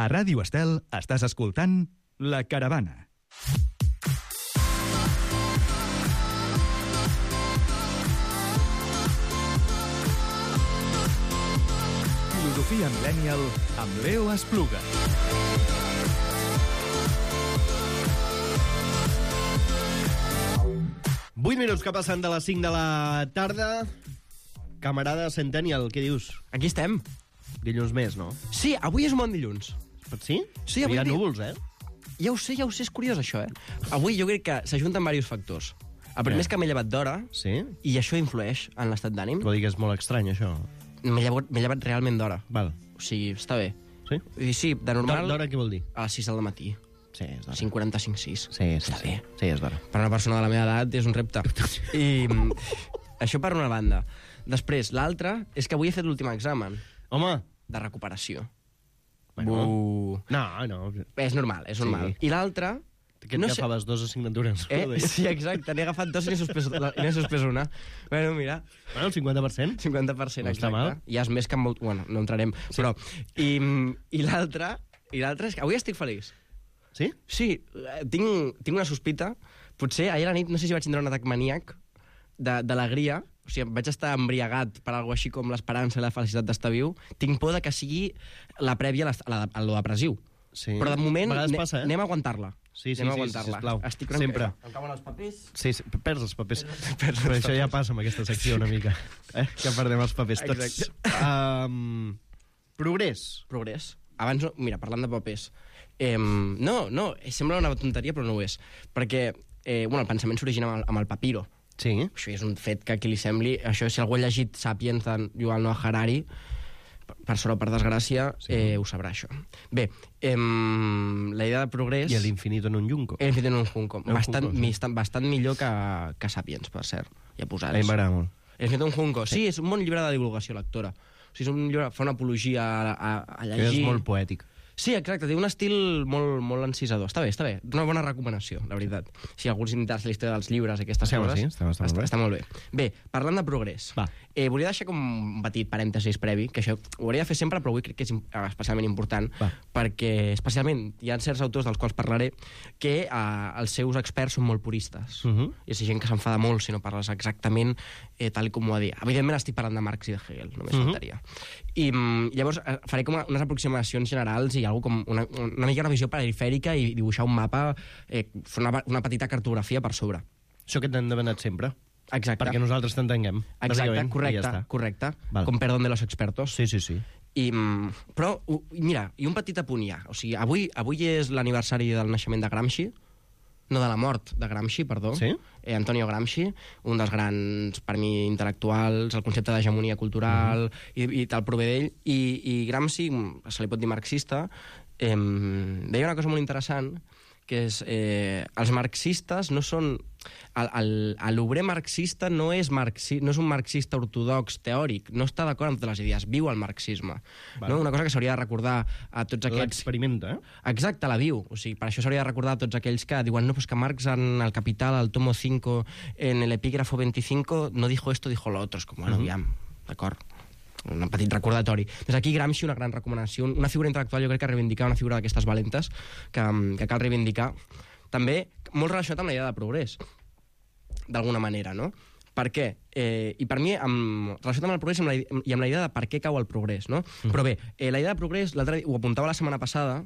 A Ràdio Estel estàs escoltant La Caravana. Filosofia Millennial amb Leo Espluga. Vuit minuts que passen de les 5 de la tarda. Camarada Centennial, què dius? Aquí estem. Dilluns més, no? Sí, avui és un bon dilluns. Sí? Sí, avui hi ha núvols, eh? Ja ho sé, és curiós això, eh? Avui jo crec que s'ajunten diversos factors. El primer és que m'he llevat d'hora, Sí? i això influeix en l'estat d'ànim. Vol dir que és molt estrany, això. M'he llevat realment d'hora. Val. O sigui, està bé. Sí? I sí, de normal, D'hora què vol dir? a les 6 del matí. Sí, és d'hora. 5:45, 6. Sí, Està bé. Sí, és d'hora. Per una persona de la meva edat és un repte. I això per una banda. Després, l'altra és que avui he fet l'últim examen Home! de recuperació. Bueno. No. És normal, és normal. Sí. I l'altra... Que et agafaves dues assignatures. Sí, exacte, n'he agafat dos i n'he suspès una. Bueno, mira, Bueno, el 50%. 50%, No està exacte. mal. Ja és més que molt... Bueno, no entrarem, sí. Però... I l'altra és que avui estic feliç. Sí? Sí, tinc una sospita. Potser ahir a la nit, no sé si vaig tindre un atac maníac d'alegria. O sigui, vaig estar embriagat per alguna així com l'esperança i la felicitat d'estar viu. Tinc por de que sigui la prèvia a lo depressiu. Sí. Però de moment A vegades passa, eh? anem a aguantar-la. Sí, anem a aguantar-la. sisplau. Estic una Sempre. mica... Em cauen els papers. Sí, perds els papers. Perds els Però això ja papers. passa amb aquesta secció una mica. Que perdem els papers tots. Exacte. Progrés. Progrés. Abans, mira, parlant de papers. No, sembla una tonteria, però no ho és. Perquè el pensament s'origina amb el papiro. Sí. Això és un fet que a qui li sembli... Això, si algú ha llegit Sapiens de Yuval Noah Harari, per sort o per desgràcia, ho sabrà, això. Bé, la idea de progrés... I l'infinito en un junco. L'infinito en un junco. Sí. Bastant millor que Sapiens, per cert. Ja A posats. mi m'agrada molt. L'infinito en un junco. Sí, és un bon llibre de divulgació lectora. O sigui, és un llibre, fa una apologia a llegir... És molt poètic. Sí, exacte, té un estil molt encisador. Està bé. Una bona recomanació, la veritat. Si algú s'interessa la història dels llibres i aquestes coses... Sí, està molt bé. Bé, parlant de progrés, Va. volia deixar com un petit parèntesis previ, que això ho hauria de fer sempre, però avui crec que és especialment important, Va. perquè especialment hi ha certs autors dels quals parlaré que els seus experts són molt puristes. I és gent que s'enfada molt si no parles exactament tal com ho ha dit. Evidentment estic parlant de Marx i de Hegel, només faltaria. I llavors faré com unes aproximacions generals i algo com una mica una visió perifèrica i dibuixar un mapa, fer una petita cartografia per sobre. Això que t'hem demanat sempre. Exacte. Perquè nosaltres t'entenguem. Exacte, bàsicament, correcte. Val. Con perdón de los expertos. Sí. Però, mira, i un petit apunt ja. O sigui, avui és l'aniversari del naixement de Gramsci, no, de la mort de Gramsci, perdó. Sí? Antonio Gramsci, un dels grans, per mi, intel·lectuals, el concepte d'hegemonia cultural i tal prové d'ell. I Gramsci, se li pot dir marxista, deia una cosa molt interessant, que és els marxistes no són... L'obrer marxista no és un marxista ortodox teòric, no està d'acord amb totes les idees, viu el marxisme. No? Una cosa que s'hauria de recordar a tots aquests... L'experimenta, Exacte, la viu. O sigui, per això s'hauria de recordar a tots aquells que diuen no, pues que Marx en el Capital, al tomo 5, en el epígrafo 25, no dijo esto, dijo lo otro. És com, bueno, aviam, d'acord? Un petit recordatori. Des d'aquí Gramsci, una gran recomanació, una figura intel·lectual, jo crec que reivindicar una figura d'aquestes valentes que cal reivindicar. També molt relacionat amb la idea de progrés, d'alguna manera, no? Per què? I per mi, relacionat amb el progrés i amb la idea de per què cau el progrés, no? Però bé, la idea de progrés, l'altre dia, ho apuntava la setmana passada,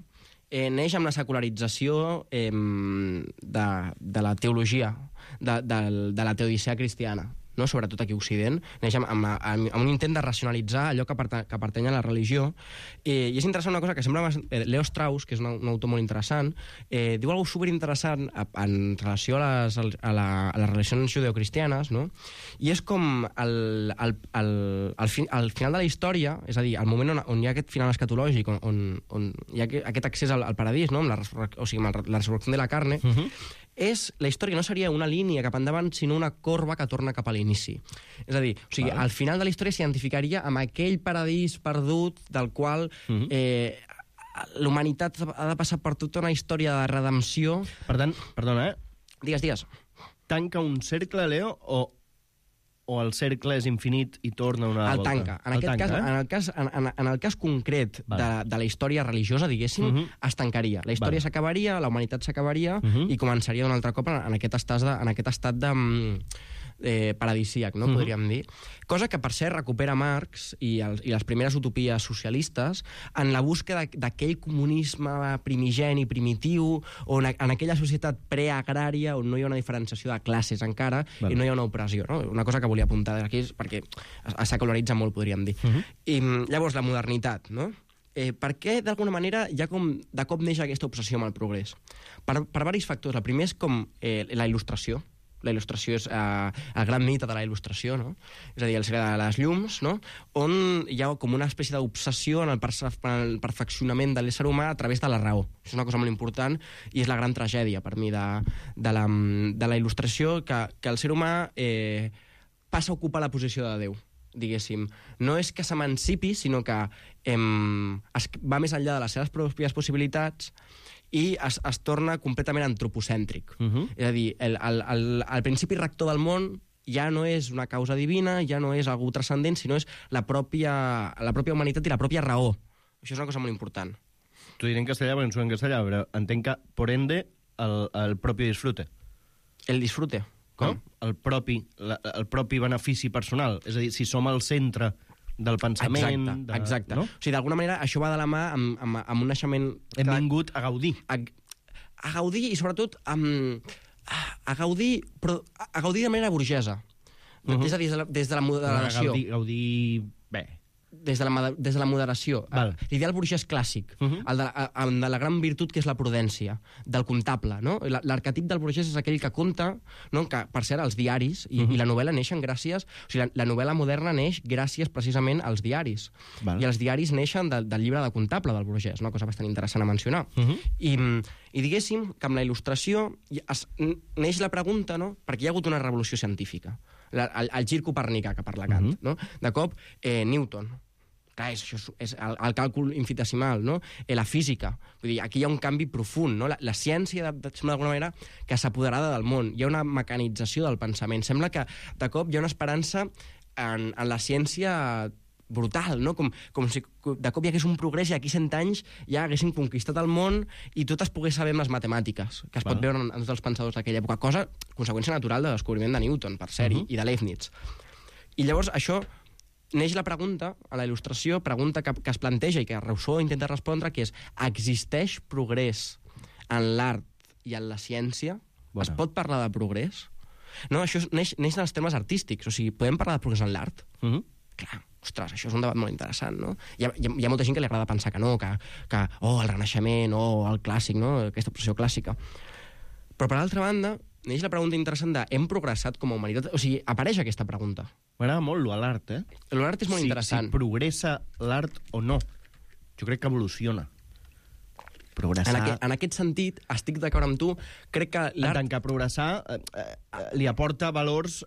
neix amb la secularització de la teologia, de la teodicea cristiana, no? Sobretot aquí a Occident, neix amb un intent de racionalitzar allò que pertany a la religió. I és interessant una cosa que sembla... Leo Strauss, que és un autor molt interessant, diu alguna cosa superinteressant en relació a les relacions judeocristianes, no? I és com al final de la història, és a dir, al moment on hi ha aquest final escatològic, on hi ha aquest accés al paradís, no? Amb la resurrecció de la carne, la història no seria una línia cap endavant, sinó una corba que torna cap a l'inici. És a dir, al final de la història s'identificaria amb aquell paradís perdut del qual l'humanitat ha de passar per tota una història de redempció. Per tant, perdona, Digues. tanca un cercle, Leo, o el cercle és infinit i torna una El volta? tanca. En el cas concret de la història religiosa, diguéssim, es tancaria. La història s'acabaria, la humanitat s'acabaria i començaria un altre cop en aquest estat de paradisíac, no? Podríem dir. Cosa que, per cert, recupera Marx i les primeres utopies socialistes en la búsqueda d'aquell comunisme primigeni, primitiu, on en aquella societat preagrària on no hi ha una diferenciació de classes encara i no hi ha una opressió. No? Una cosa que volia apuntar aquí perquè s'acularitza molt, podríem dir. I llavors, la modernitat, no? Per què, d'alguna manera, ja com de cop neix aquesta obsessió amb el progrés? Per diversos factors. El primer és com la il·lustració. La il·lustració és el gran mite de la il·lustració, no? És a dir, el segle de les llums, no? On hi ha com una espècie d'obsessió en el perfeccionament de l'ésser humà a través de la raó. Això és una cosa molt important i és la gran tragèdia, per mi, de la il·lustració, que el ser humà passa a ocupar la posició de Déu, diguéssim. No és que s'emancipi, sinó que va més enllà de les seves pròpies possibilitats i es torna completament antropocèntric. És a dir, el principi rector del món ja no és una causa divina, ja no és algú transcendent, sinó és la pròpia humanitat i la pròpia raó. Això és una cosa molt important. T'ho diré en castellà, perquè no soy en castellà, però entenc que, por ende, el propi disfrute. El disfrute? Com? No? El propi benefici personal. És a dir, si som al centre del pensament... Exacte. No? O sigui, d'alguna manera, això va de la mà amb un naixement... Hem vingut a gaudir. A gaudir i, sobretot, a gaudir, però a gaudir de manera burgesa. És a dir, des de la moderació. Gaudir bé. Des de la moderació. L'ideal burgès clàssic, el de la gran virtut que és la prudència, del comptable. No? L'arquetip del burgès és aquell que compta, no? Que, per cert, els diaris i la novel·la neixen gràcies... O sigui, la novel·la moderna neix gràcies precisament als diaris. I els diaris neixen del llibre de comptable del burgès, una cosa bastant interessant a mencionar. I diguéssim que amb la il·lustració neix la pregunta, no? Perquè hi ha hagut una revolució científica. El gir copernicà que parla Kant. No? De cop, Newton. Clar, és el càlcul infinitesimal, no? La física. Vull dir, aquí hi ha un canvi profund, no? La ciència, d'alguna manera, que s'ha apoderada del món. Hi ha una mecanització del pensament. Sembla que, de cop, hi ha una esperança en la ciència brutal, no? Com si de cop hi hagués un progrés i aquí 100 anys ja haguessin conquistat el món i tot es pogués saber amb les matemàtiques, que es pot veure en tots els pensadors d'aquella època. Cosa, conseqüència natural del descobriment de Newton, per cert, i de Leibniz. I llavors això neix la pregunta, a la il·lustració, pregunta que es planteja i que Rousseau intenta respondre, que és: existeix progrés en l'art i en la ciència? Es pot parlar de progrés? No, això neix dels temes artístics. O sigui, podem parlar de progrés en l'art? Clar, ostres, això és un debat molt interessant, no? Hi ha molta gent que li agrada pensar que no, que el Renaixement, el clàssic, no? Aquesta obsessió clàssica. Però, per altra banda, neix la pregunta interessant de: hem progressat com a humanitat? O sigui, apareix aquesta pregunta. M'agrada molt l'art, eh? L'art és molt interessant. Si progressa l'art o no. Jo crec que evoluciona. Progressar... En aquest sentit, estic d'acord amb tu, crec que l'art... En tant que progressar li aporta valors...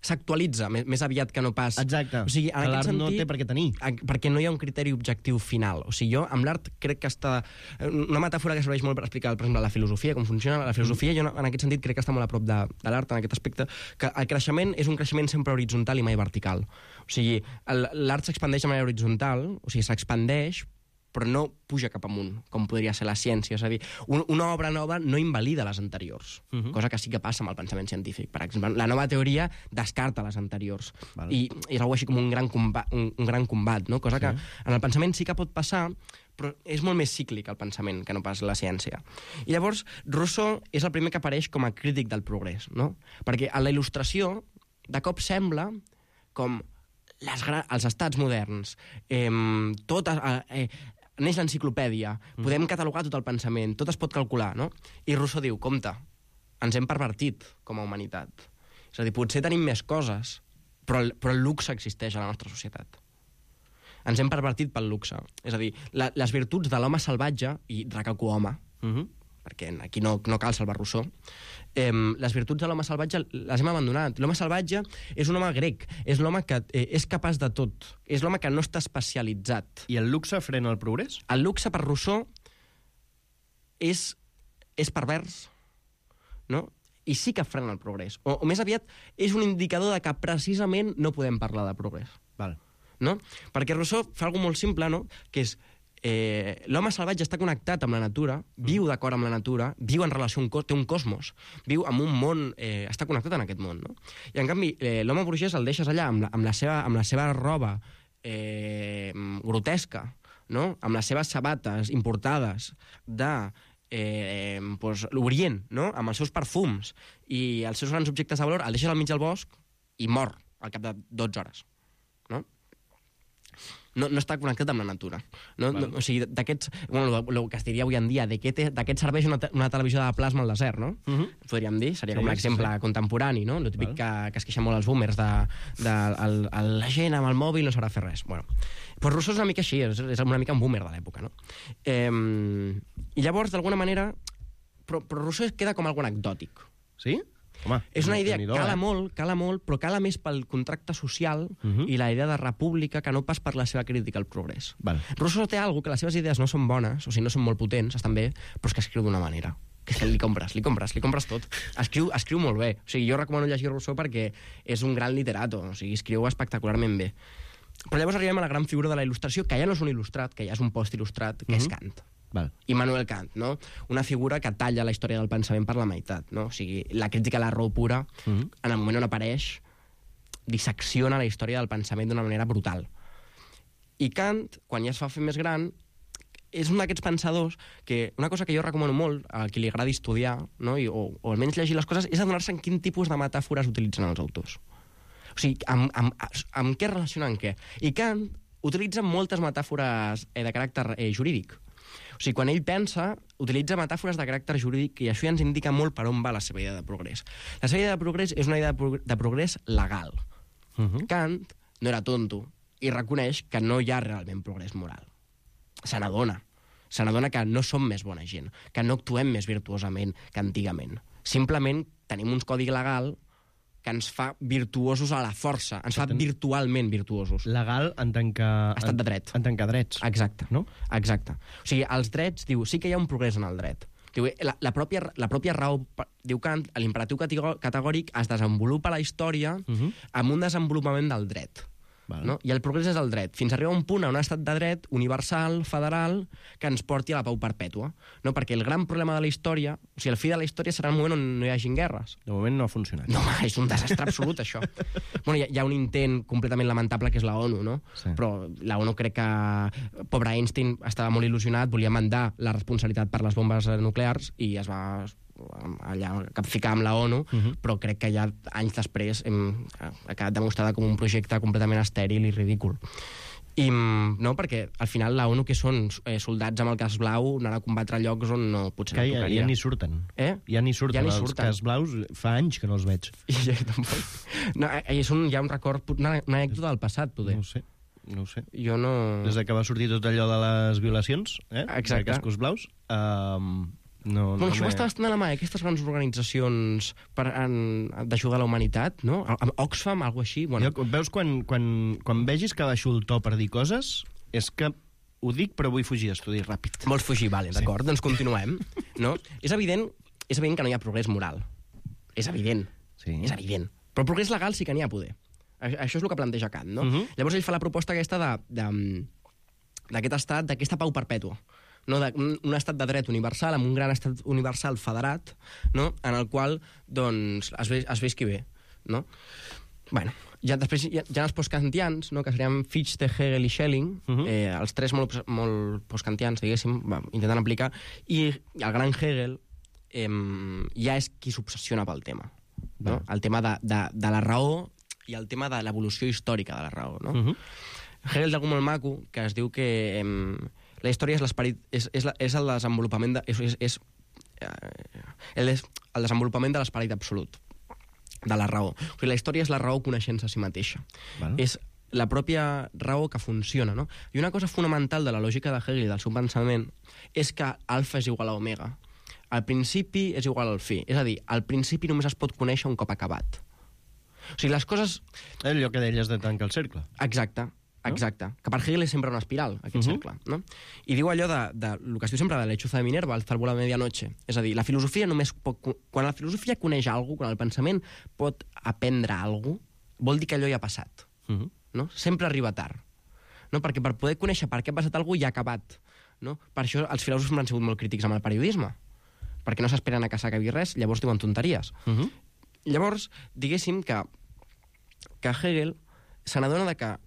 S'actualitza, més aviat que no pas... Exacte, o sigui, en que l'art sentit, no té per què tenir. Perquè no hi ha un criteri objectiu final. O sigui, jo amb l'art crec que està... Una metàfora que serveix molt per explicar, per exemple, la filosofia, com funciona la filosofia, jo en aquest sentit crec que està molt a prop de l'art, en aquest aspecte, que el creixement és un creixement sempre horitzontal i mai vertical. O sigui, l'art s'expandeix de manera horitzontal, o sigui, s'expandeix, però no puja cap amunt, com podria ser la ciència. És a dir, una obra nova no invalida les anteriors, cosa que sí que passa amb el pensament científic. Per exemple, la nova teoria descarta les anteriors. I és algo així com un gran combat, no? Cosa que en el pensament sí que pot passar, però és molt més cíclic el pensament que no pas la ciència. I llavors, Rousseau és el primer que apareix com a crític del progrés, no? Perquè en la il·lustració, de cop sembla com els estats moderns, neix l'enciclopèdia, podem catalogar tot el pensament, tot es pot calcular, no? I Rousseau diu: compte, ens hem pervertit com a humanitat. És a dir, potser tenim més coses, però el luxe existeix a la nostra societat. Ens hem pervertit pel luxe. És a dir, les virtuts de l'home salvatge, i recalco home, perquè aquí no cal salvar Rousseau, les virtuts de l'home salvatge les hem abandonat. L'home salvatge és un home grec, és l'home que és capaç de tot, és l'home que no està especialitzat. I el luxe frena el progrés? El luxe, per Rousseau, és pervers, no? i sí que frena el progrés. O més aviat és un indicador de que precisament no podem parlar de progrés. Val. No? Perquè Rousseau fa alguna molt simple, no? Que és l'home salvatge està connectat amb la natura, viu d'acord amb la natura, viu en relació té un cosmos, viu en un món, està connectat en aquest món, no? I en canvi, l'home burgès el deixes allà amb la seva roba grotesca, no? Amb les seves sabates importades de l'Orient, no? Amb els seus perfums i els seus grans objectes de valor, el deixes al mig del bosc i mor al cap de 12 hores. No està connectat amb la natura. O sigui, d'aquests... Bueno, el que es diria avui en dia, de què serveix una televisió de plasma al desert, no? Podríem dir, seria com l'exemple contemporani, no? El típic que es queixen molt els boomers de la gent amb el mòbil no sabrà fer res. Bueno, doncs Rousseau és una mica així, és una mica un boomer de l'època, no? I llavors, d'alguna manera... Però Rousseau queda com algo anecdòtic. Sí? Home, és una idea que cala molt, però cala més pel contracte social i la idea de república que no pas per la seva crítica al progrés. Rousseau té alguna cosa que les seves idees no són bones, o sigui, no són molt potents, estan bé, però és que escriu d'una manera. Que li compres tot. Escriu molt bé. O sigui, jo recomano llegir Rousseau perquè és un gran literato, o sigui, escriu espectacularment bé. Però llavors arribem a la gran figura de la il·lustració, que ja no és un il·lustrat, que ja és un post-il·lustrat, que és Kant. Immanuel Kant, no? Una figura que talla la història del pensament per la meitat, no? O sigui, la crítica a la raó pura, en el moment on apareix, dissecciona la història del pensament d'una manera brutal. I Kant, quan ja es fa fer més gran, és un d'aquests pensadors que una cosa que jo recomano molt a qui li agradi estudiar, no? O almenys llegir les coses, és adonar-se en quin tipus de metàfores utilitzen els autors. O sigui, amb què relacionen què. I Kant utilitza moltes metàfores de caràcter jurídic. O sigui, quan ell pensa, utilitza metàfores de caràcter jurídic i això ja ens indica molt per on va la seva idea de progrés. La seva idea de progrés és una idea de progrés legal. Kant no era tonto i reconeix que no hi ha realment progrés moral. Se n'adona que no som més bona gent, que no actuem més virtuosament que antigament. Simplement tenim un codi legal que ens fa virtuosos a la força, ens fa virtualment virtuosos. Legal en tant que... Estat de dret. En tant que drets. Exacte. No? Exacte. O sigui, els drets, diu, sí que hi ha un progrés en el dret. Diu, la pròpia raó, diu Kant, l'imperatiu categòric es desenvolupa a la història amb un desenvolupament del dret. No? I el progrés és el dret, fins a arribar a un punt, a un estat de dret universal, federal, que ens porti a la pau perpètua. No? Perquè el gran problema de la història, o sigui, el fi de la història serà el moment on no hi hagin guerres. De moment no ha funcionat. No, és un desastre absolut, això. Bueno, hi ha un intent completament lamentable que és la ONU, no? Sí. Però la ONU crec que... Pobre Einstein estava molt il·lusionat, volia mandar la responsabilitat per les bombes nuclears i es va allà capficar amb la ONU, però crec que ja anys després ha quedat demostrada com un projecte completament estèril i ridícul. I no, perquè al final la ONU que són soldats amb el casc blau anar a combatre a llocs on no potser no tocaria. Ja ni surten. Ja ni surten. Els cascs blaus fa anys que no els veig. Ja, tampoc. No, hi ha un record, una anècdota del passat, poder. No ho sé. Jo no... Des que va sortir tot allò de les violacions, Exacte. De cascos blaus, això està bastant a la mà, aquestes grans organitzacions d'ajudar a la humanitat, no? Oxfam, alguna així. Bueno. Veus, quan vegis que baixo el to per dir coses, és que ho dic, però vull fugir d'estudi ràpid. Vols fugir, vale, d'acord, doncs continuem. No? És evident que no hi ha progrés moral. És evident. Sí. És evident. Però progrés legal sí que n'hi ha poder. Això és el que planteja Kant, no? Llavors ell fa la proposta aquesta d'aquest estat, d'aquesta pau perpètua. No, un estat de dret universal amb un gran estat universal federat, no? En el qual doncs, es visqui bé, no? Bueno, després hi ha els postkantians, no? Que serien Fichte, Hegel i Schelling, els tres molt postkantians, diguéssim, intentant aplicar, i el gran Hegel ja és qui s'obsessiona pel tema, no? El tema de la raó i el tema de l'evolució històrica de la raó, no? Hegel té algú molt maco que es diu que la història és l'esperit, és el desenvolupament el desenvolupament de l'esperit absolut, de la raó. O sigui, la història és la raó coneixent-se a si mateixa. És la pròpia raó que funciona, no? I una cosa fonamental de la lògica de Hegel i del seu pensament és que alfa és igual a omega. Al principi és igual al fi. És a dir, al principi només es pot conèixer un cop acabat. O sigui, les coses... Allò que deies de tancar el cercle. Exacte. Exacte. Que per Hegel és sempre una espiral, aquest cercle. No? I diu allò de el que es diu sempre de l'hechuza de Minerva, el cérvol a medianoche. És a dir, la filosofia només pot... Quan la filosofia coneix alguna cosa, quan el pensament pot aprendre alguna cosa, vol dir que allò ja ha passat. No? Sempre arriba tard. No? Perquè per poder conèixer per què ha passat alguna cosa ja ha acabat. No? Per això els filòsofs han sigut molt crítics amb el periodisme. Perquè no s'esperen a que s'acabi res, llavors diuen tonteries. Llavors, diguéssim que Hegel se n'adona que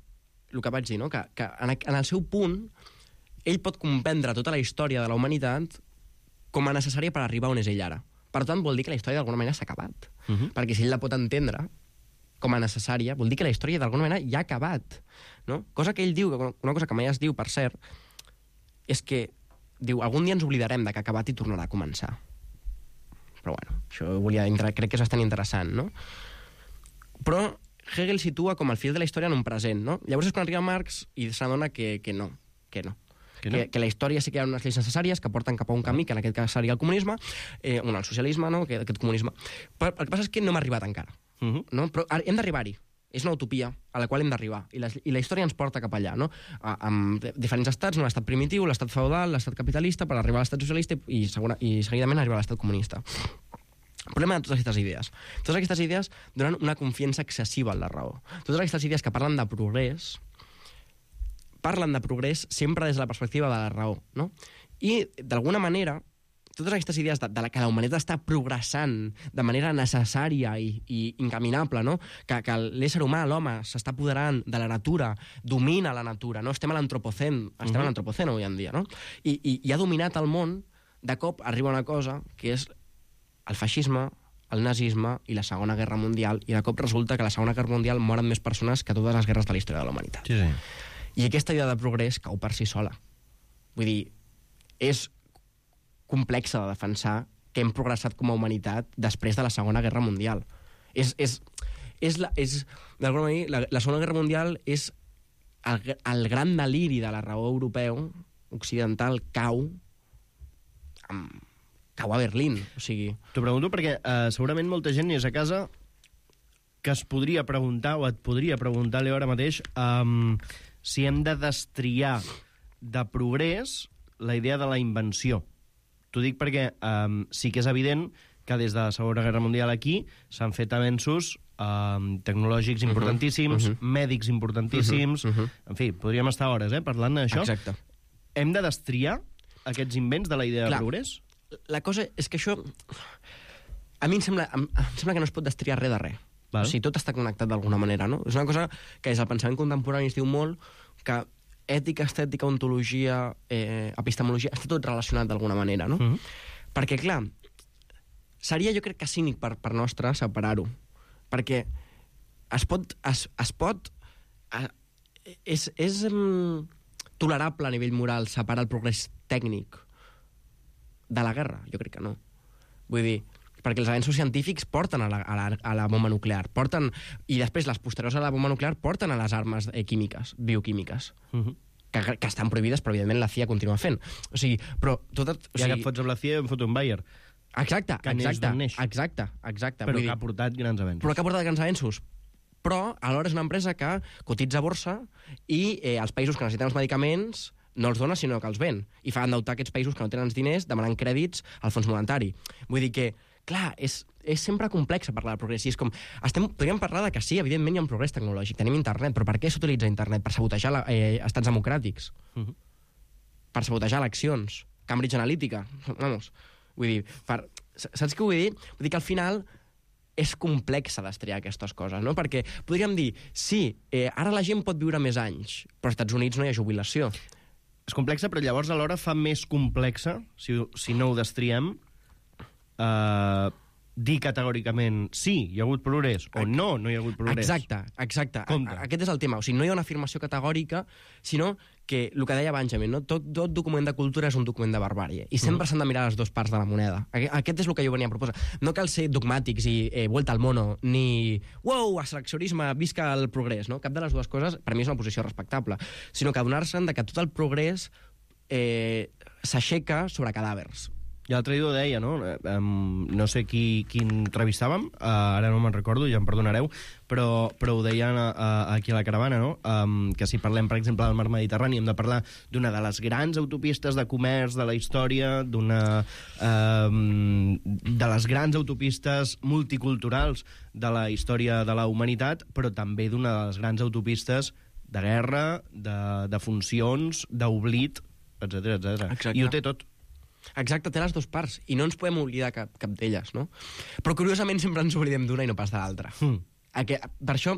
el que vaig dir, no? que en el seu punt ell pot comprendre tota la història de la humanitat com a necessària per arribar on és ell ara. Per tant, vol dir que la història d'alguna manera s'ha acabat. Perquè si ell la pot entendre com a necessària, vol dir que la història d'alguna manera ja ha acabat. No? Cosa que ell diu, una cosa que mai es diu, per cert, és que diu, algun dia ens oblidarem de que ha acabat i tornarà a començar. Però bueno, això crec que és bastant interessant, no? Però Hegel situa com el fil de la història en un present, no? Llavors és quan arriba Marx i s'adona que no. Que la història sí que hi ha unes lleis necessàries que porten cap a un camí, que en aquest cas seria el comunisme, el socialisme, no? Aquest comunisme. Però el que passa és que no hem arribat encara. No? Però hem d'arribar-hi. És una utopia a la qual hem d'arribar. I la història ens porta cap allà, no? Amb diferents estats, no? L'estat primitiu, l'estat feudal, l'estat capitalista, per arribar a l'estat socialista i seguidament arribar a l'estat comunista. El problema de totes aquestes idees. Totes aquestes idees donen una confiança excessiva en la raó. Totes aquestes idees que parlen de progrés sempre des de la perspectiva de la raó, no? I, d'alguna manera, totes aquestes idees de que la humanitat està progressant de manera necessària i incaminable, no? Que l'ésser humà, l'home, s'està apoderant de la natura, domina la natura, no? Estem a l'antropocen avui en dia, no? I ha dominat el món, de cop arriba una cosa que és el feixisme, el nazisme i la Segona Guerra Mundial, i de cop resulta que a la Segona Guerra Mundial moren més persones que totes les guerres de la història de la humanitat. Sí. I aquesta idea de progrés cau per si sola. Vull dir, és complexa de defensar que hem progressat com a humanitat després de la Segona Guerra Mundial. D'alguna manera, la Segona Guerra Mundial és el gran deliri de la raó europeu occidental cau a Berlín, o sigui... T'ho pregunto perquè segurament molta gent és a casa que es podria preguntar, o et podria preguntar, Leo, ara mateix, si hem de destriar de progrés la idea de la invenció. T'ho dic perquè sí que és evident que des de la Segona Guerra Mundial aquí s'han fet avenços tecnològics importantíssims, mèdics importantíssims... En fi, podríem estar hores parlant d'això. Exacte. Hem de destriar aquests invents de la idea de progrés? La cosa és que això... A mi em sembla que no es pot destriar res de res. O sigui, tot està connectat d'alguna manera, no? És una cosa que des del pensament contemporani es diu molt que ètica, estètica, ontologia, epistemologia, està tot relacionat d'alguna manera, no? Perquè, clar, seria, jo crec que cínic per nostre separar-ho. Perquè és tolerable a nivell moral separar el progrés tècnic de la guerra? Jo crec que no. Vull dir, perquè els avenços científics porten a la bomba nuclear, i després les posteriors a la bomba nuclear porten a les armes químiques, bioquímiques, que estan prohibides, però evidentment la CIA continua fent. O sigui, però... Ja que et fots amb la CIA, em foto un Bayer. Exacte. Però que ha portat grans avenços. Però alhora és una empresa que cotitza a borsa i els països que necessiten els medicaments no els dona, sinó que els ven. I fa endeutar aquests països que no tenen els diners demanant crèdits al fons monetari. Vull dir que, clar, és sempre complex parlar de progrés. I és com... Podríem parlar de que sí, evidentment hi ha un progrés tecnològic, tenim internet, però per què s'utilitza internet? Per sabotejar estats democràtics. Per sabotejar eleccions. Cambridge Analytica. Vamos. Vull dir, saps què vull dir? Vull dir que al final és complex destriar aquestes coses, no? Perquè podríem dir, sí, ara la gent pot viure més anys, però als Estats Units no hi ha jubilació. És complexa, però llavors alhora fa més complexa, si no ho destriem, dir categòricament sí, hi ha hagut progrés, o no hi ha hagut progrés. Exacte. Aquest és el tema. O sigui, no hi ha una afirmació categòrica, sinó que, el que deia Benjamin, no? Tot document de cultura és un document de barbàrie. I sempre s'han de mirar les dues parts de la moneda. Aquest és el que jo venia a proposar. No cal ser dogmàtics i vuelta al mono, ni wow, asexionisme, visca el progrés, no? Cap de les dues coses, per mi, és una posició respectable. Sinó que adonar-se'n que tot el progrés s'aixeca sobre cadàvers. I l'altre dia ho deia, no? No sé qui entrevistàvem, ara no me'n recordo, ja em perdonareu, però ho deien aquí a la caravana, no? Que si parlem, per exemple, del mar Mediterrani, hem de parlar d'una de les grans autopistes de comerç de la història, de les grans autopistes multiculturals de la història de la humanitat, però també d'una de les grans autopistes de guerra, de funcions, d'oblit, etc etc. I ho té tot. Exacte, té les dues parts, i no ens podem oblidar cap d'elles, no? Però curiosament sempre ens oblidem d'una i no pas de l'altra. Per això,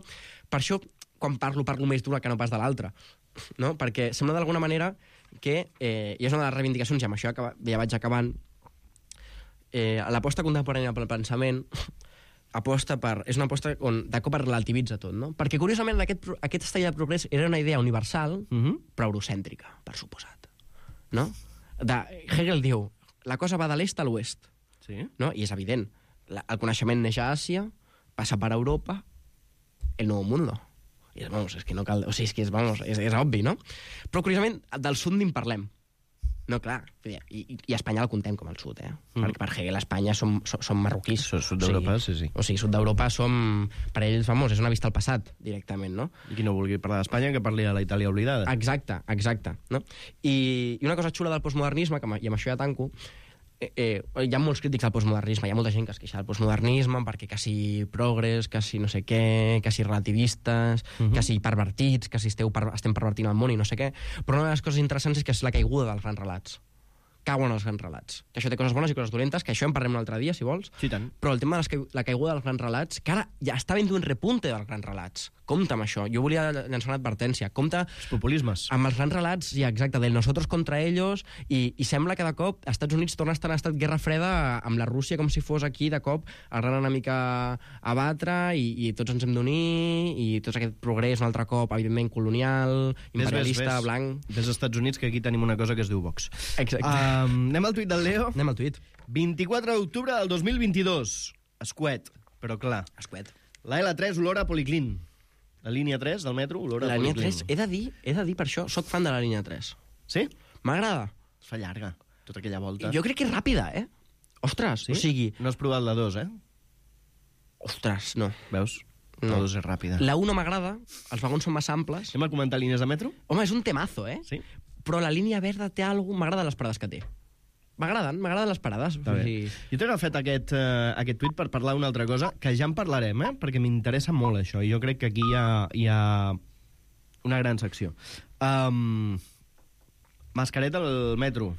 quan parlo més d'una que no pas de l'altra, no? Perquè sembla d'alguna manera que, i és una de les reivindicacions, i amb això ja vaig acabant, l'aposta contemporània pel pensament és una aposta on de cop es relativitza tot, no? Perquè curiosament aquest estat de progrés era una idea universal, però eurocèntrica, per suposat, no? Hegel diu, la cosa va de l'est a l'oest, Sí. no? I és evident, el coneixement neix a Àsia, passa per Europa, el nou mundo. I vamos, és que no cal... O sigui, és obvi, no? Però curiosament, del sud n'hi parlem. No, clar, i Espanya el contem com el sud, perquè per Hegel Espanya som marroquís. Sud d'Europa, sí. O sigui, sud d'Europa som... Per ells, vamos, és una vista al passat, directament, no? I qui no vulgui parlar d'Espanya, que parli de la Itàlia oblidada. Exacte, no? I una cosa xula del postmodernisme, i amb això ja tanco, hi ha molts crítics del postmodernisme, hi ha molta gent que es queixa del postmodernisme perquè quasi progres, quasi no sé què, quasi relativistes, quasi pervertits, quasi estem pervertint el món i no sé què, però una de les coses interessants és que és la caiguda dels grans relats. Cauen els grans relats. Que això té coses bones i coses dolentes, que això en parlem un altre dia, si vols. Sí, tant. Però el tema de la caiguda dels grans relats, que ara ja està havent un repunte dels grans relats. Compte amb això. Jo volia llançar una advertència. Compte Els populismes. amb els grans relats, ja, exacte, del nosotros contra ellos, i sembla que de cop els Estats Units torna a estar en estat guerra freda amb la Rússia, com si fos aquí, de cop, el gran enemic a batre, i tots ens hem d'unir, i tot aquest progrés, un altre cop, evidentment, colonial, imperialista, blanc... Des dels Estats Units, que aquí tenim una cosa que es diu Vox. Exacte. Anem al tuit del Leo. Anem al tuit. 24 d'octubre del 2022. Escuet, però clar. Escuet. La L3 olora a Policlín. La línia 3 del metro olora La a línia Policlín. 3, he de dir per això, soc fan de la línia 3. Sí? M'agrada. Es fa llarga, tota aquella volta. Jo crec que és ràpida, Ostres, Sí? o sigui... No has provat la 2, Ostres, no. Veus? No. La 2 és ràpida. La 1 m'agrada, els vagons són massa amples. Anem a comentar línies de metro? Home, és un temazo, Sí. Però la línia verda té alguna cosa... M'agraden les parades que té. M'agraden les parades. Està bé. Jo t'he agafat aquest tuit per parlar d'una altra cosa, que ja en parlarem, perquè m'interessa molt això, i jo crec que aquí hi ha una gran secció. Mascareta al metro.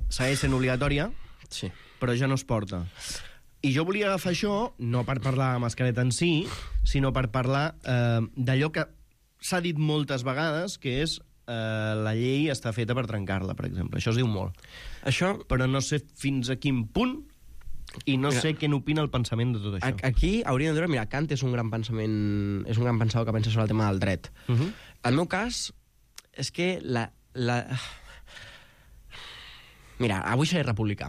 Segueix sent obligatòria, Sí. però ja no es porta. I jo volia agafar això, no per parlar de mascareta en si, sinó per parlar d'allò que s'ha dit moltes vegades, que és la llei està feta per trencar-la, per exemple. Això es diu molt. Això... Però no sé fins a quin punt i no sé què n'opina el pensament de tot això. Aquí hauríem de dir, mira, Kant és un gran pensador que pensa sobre el tema del dret. El meu cas és que Mira, avui seré republicà.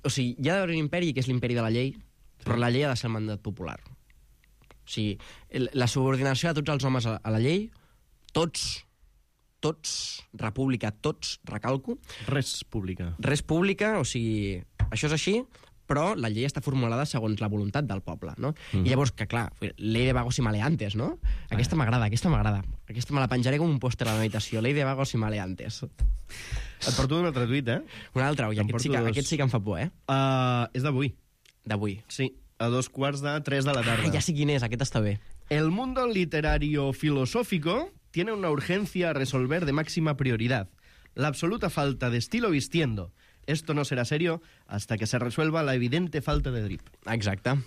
O sigui, hi ha d'haver un imperi que és l'imperi de la llei, però la llei ha de ser el mandat popular. O sigui, la subordinació de tots els homes a la llei, tots, república, tots, recalco. Res pública. Res pública, o sigui, això és així, però la llei està formulada segons la voluntat del poble, no? I llavors, que clar, ley de vagos y maleantes, no? Aquesta m'agrada. Aquesta me la penjaré com un pòster a la meva habitació, ley de vagos y maleantes. Et porto un altre tuit, Un altre, oi, aquest sí que em fa por, És d'avui. D'avui. Sí, a 2:45 de la tarda. Ja sé quin és, aquest està bé. El mundo literario filosófico tiene una urgencia a resolver de máxima prioridad. La absoluta falta de estilo vistiendo. Esto no será serio hasta que se resuelva la evidente falta de drip. Exacte.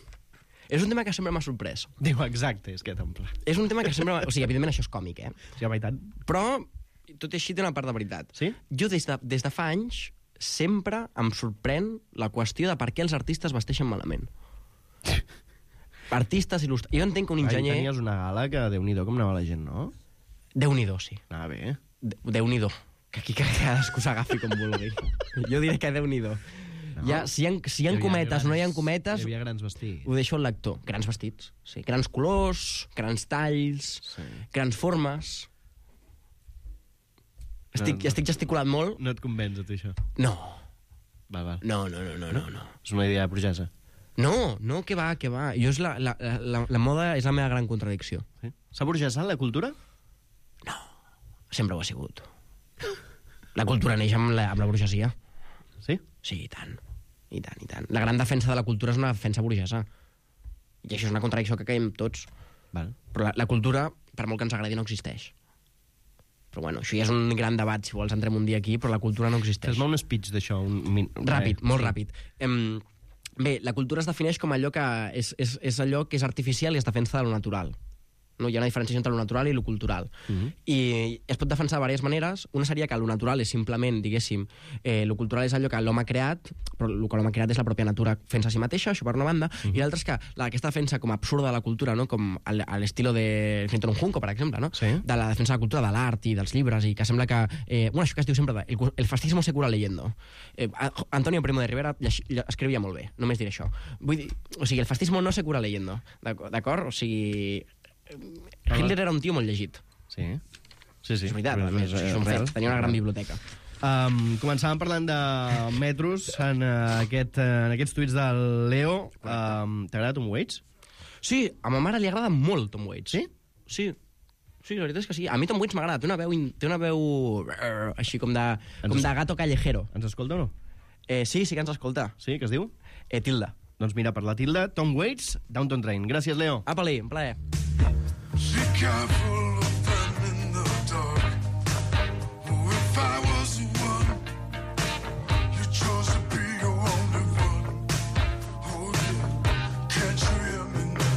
És un tema que sempre m'ha sorprès. Diu, exacte, és que t'omple. És un tema que sempre... O sigui, evidentment això és còmic, Sí, home, i tant. Però, tot i així, té una part de veritat. Sí? Jo, des de fa anys, sempre em sorprèn la qüestió de per què els artistes vesteixen malament. Artistes il·lustres... Jo entenc que un enginyer... Tenies una gala que, Déu-n'hi-do, com anava la gent, no? Déu-n'hi-do, sí. Anava bé. Déu-n'hi-do. Que aquí cadascú s'agafi com vulgui. Jo diré que Déu-n'hi-do. No. Ja, si hi ha cometes o no hi ha cometes, Hi havia grans vestits. ho deixo al lector. Grans vestits, sí. Grans colors, grans talls, Sí. grans formes. Estic gesticulant molt. No et convenç, a tu, això? No. Val. No. És una idea burgesa. No, que va. Jo la moda és la meva gran contradicció. Sí? S'ha burgesat la cultura? No, sempre ho ha sigut. La cultura neix amb la burgesia. Sí? Sí, i tant. La gran defensa de la cultura és una defensa burgesa. I això és una contradicció que caiem tots. Val. Però la cultura, per molt que ens agradi, no existeix. Però bueno, això ja és un gran debat, si vols entrem un dia aquí, però la cultura no existeix. Fes-me un speech d'això. Ràpid, molt ràpid. Bé, la cultura es defineix com allò que és allò que és artificial i es defensa de lo natural. No? Hi ha una diferenciació entre lo natural i lo cultural. I es pot defensar de diverses maneres. Una seria que lo natural és simplement, diguéssim, lo cultural és allò que l'home ha creat, però el que l'home ha creat és la pròpia natura fent-se a si mateixa, això per una banda, i l'altra és que aquesta defensa com absurda de la cultura, no? Com a l'estilo de Finton Junco, per exemple, no? Sí. De la defensa de la cultura, de l'art i dels llibres, i que sembla que... bueno, això que es diu sempre, el fascismo se cura leyendo. Antonio Primo de Rivera escrivia molt bé, només diré això. Vull dir, o sigui, el fascismo no se cura leyendo, d'acord? O sigui... Hitler era un tio molt llegit. Sí. És veritat, a més, és un fet. Tenia una gran biblioteca. Començàvem parlant de metros en aquests tuits del Leo. T'agrada Tom Waits? Sí, a ma mare li agrada molt Tom Waits. Sí? Sí, la veritat és que sí. A mi Tom Waits m'agrada. Té una veu així com de gato callejero. Ens escolta o no? Sí que ens escolta. Sí, què es diu? Tilda. Doncs mira, per la Tilda, Tom Waits, Downton Train. Gràcies, Leo. Apa-li, un plaer. Be careful of them in the dark. Oh, if I was the one, you chose to be your only one. Oh, yeah. Can't you hear me now?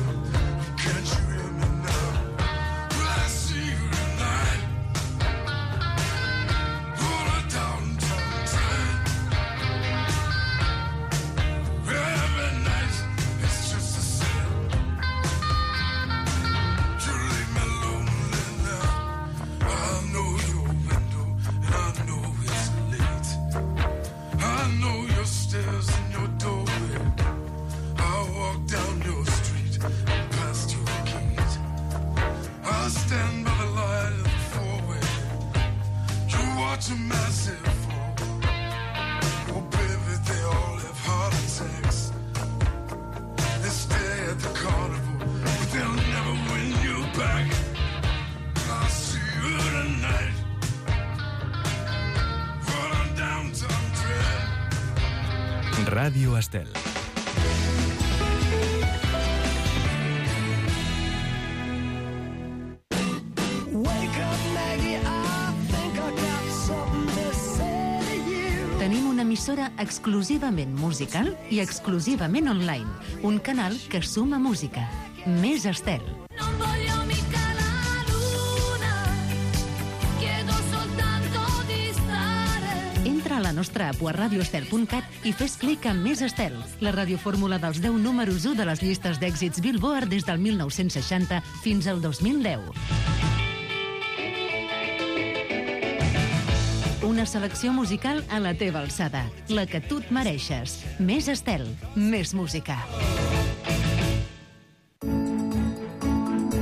Can't you hear me now? Will I see you tonight? On a downtown train. Every night, it's just the same. You leave me lonely now. I know your window, and I know it's late. I know your stairs and your doorway. I walk down your street and past your gate. I stand by the light of the four-way. You watch a massive fall. Oh, baby, they all have heart attacks. They stay at the carnival, but they'll never win you back. I'll see you tonight. Run on downtown train. Ràdio Estel. Tenim una emissora exclusivament musical i exclusivament online. Un canal que suma música. Més Estel. Non voglio mica la luna, chiedo soltanto di stare. Entra a la nostra app a radioestel.cat i fes clic en Més Estel, la radiofórmula dels 10 números 1 de les llistes d'èxits Billboard des del 1960 fins al 2010. Una selecció musical a la teva alçada, la que tu et mereixes. Més Estel, més música.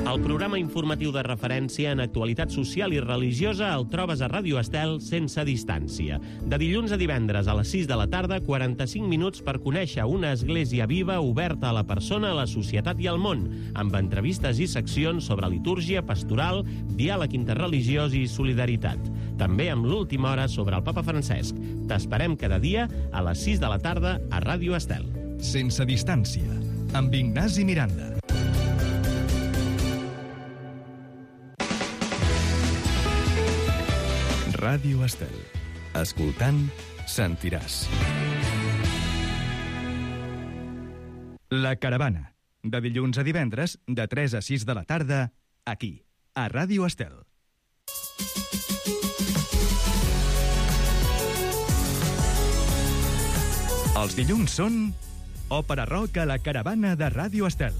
El programa informatiu de referència en actualitat social i religiosa el trobes a Ràdio Estel sense distància. De dilluns a divendres a les 6 de la tarda, 45 minuts per conèixer una església viva oberta a la persona, a la societat i al món, amb entrevistes i seccions sobre litúrgia, pastoral, diàleg interreligiós i solidaritat. També amb l'última hora sobre el Papa Francesc. T'esperem cada dia a les 6 de la tarda a Ràdio Estel. Sense distància, amb Ignasi Miranda. Ràdio Estel. Escoltant, sentiràs. La Caravana. De dilluns a divendres, de 3 a 6 de la tarda, aquí, a Ràdio Estel. Els dilluns són Òpera Rock a la Caravana de Ràdio Estel.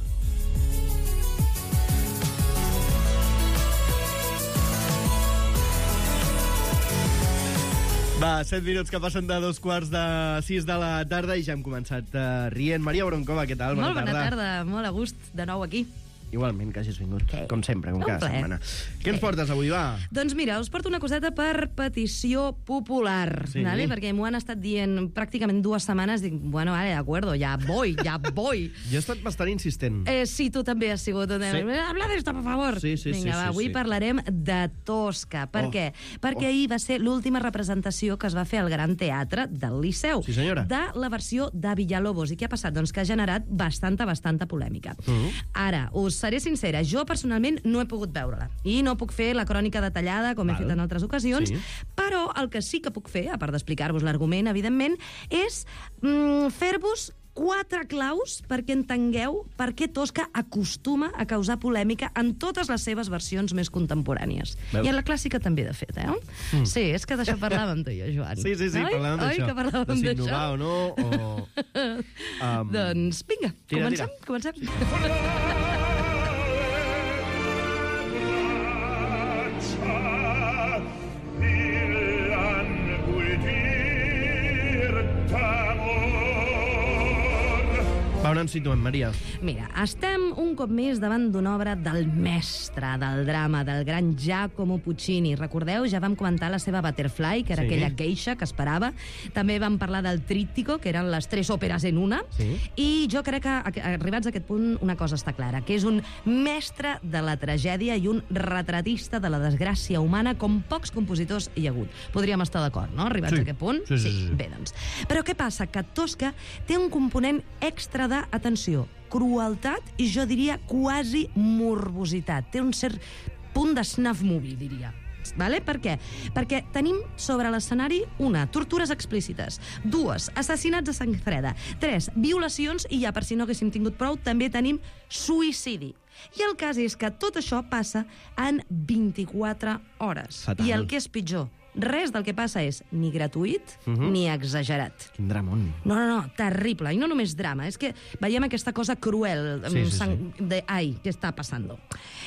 Va, 7 minuts que passen de 2:45 de la tarda i ja hem començat rient. Maria Broncova, què tal? Molt bona tarda, molt a gust, de nou aquí. Igualment, que hagis vingut, com sempre, com Un cada plaer. setmana. Què ens portes avui, va? Doncs mira, us porto una coseta per petició popular, Sí. ¿vale? Perquè m'ho han estat dient pràcticament 2 setmanes. Dic, bueno, vale, de acuerdo, ya voy. Jo he estat bastant insistent. Sí, tu també has sigut. Sí. Habla d'esto, per favor. Sí, sí, Vinga, sí, va, sí, avui sí. parlarem de Tosca. Per què? Perquè ahir va ser l'última representació que es va fer al Gran Teatre del Liceu. Sí, senyora. De la versió de Villalobos. I què ha passat? Doncs que ha generat bastanta polèmica. Ara, us seré sincera, jo personalment no he pogut veure-la. I no puc fer la crònica detallada, com he fet en altres ocasions, Sí. però el que sí que puc fer, a part d'explicar-vos l'argument, evidentment, és fer-vos 4 claus perquè entengueu per què Tosca acostuma a causar polèmica en totes les seves versions més contemporànies. Veus? I en la clàssica també, de fet, Sí, és que d'això parlàvem tu i jo, Joan. Sí, parlàvem d'això. Oi, que parlàvem de si d'això? innovar o no, o... Doncs vinga, Tira. comencem. Va, on ens situem, Maria? Mira, estem un cop més davant d'una obra del mestre del drama, del gran Giacomo Puccini. Recordeu? Ja vam comentar la seva Butterfly, que era Sí. aquella geisha que esperava. També vam parlar del Tríptico, que eren les 3 òperes en una. Sí. I jo crec que, arribats a aquest punt, una cosa està clara, que és un mestre de la tragèdia i un retratista de la desgràcia humana com pocs compositors hi ha hagut. Podríem estar d'acord, no?, arribats Sí. a aquest punt? Sí. Bé, doncs. Però què passa? Que Tosca té un component extra de, atenció, crueltat i jo diria quasi morbositat. Té un cert punt de snuff movie, diria. Vale? Per què? Perquè tenim sobre l'escenari 1, tortures explícites, 2, assassinats a sang freda, 3, violacions i ja, per si no haguéssim tingut prou, també tenim suïcidi. I el cas és que tot això passa en 24 hores. Fatal. I el que és pitjor, res del que passa és ni gratuït ni exagerat. Quin dramón. No, terrible. I no només drama, és que veiem aquesta cosa cruel. Sí. De, ai, què està passant?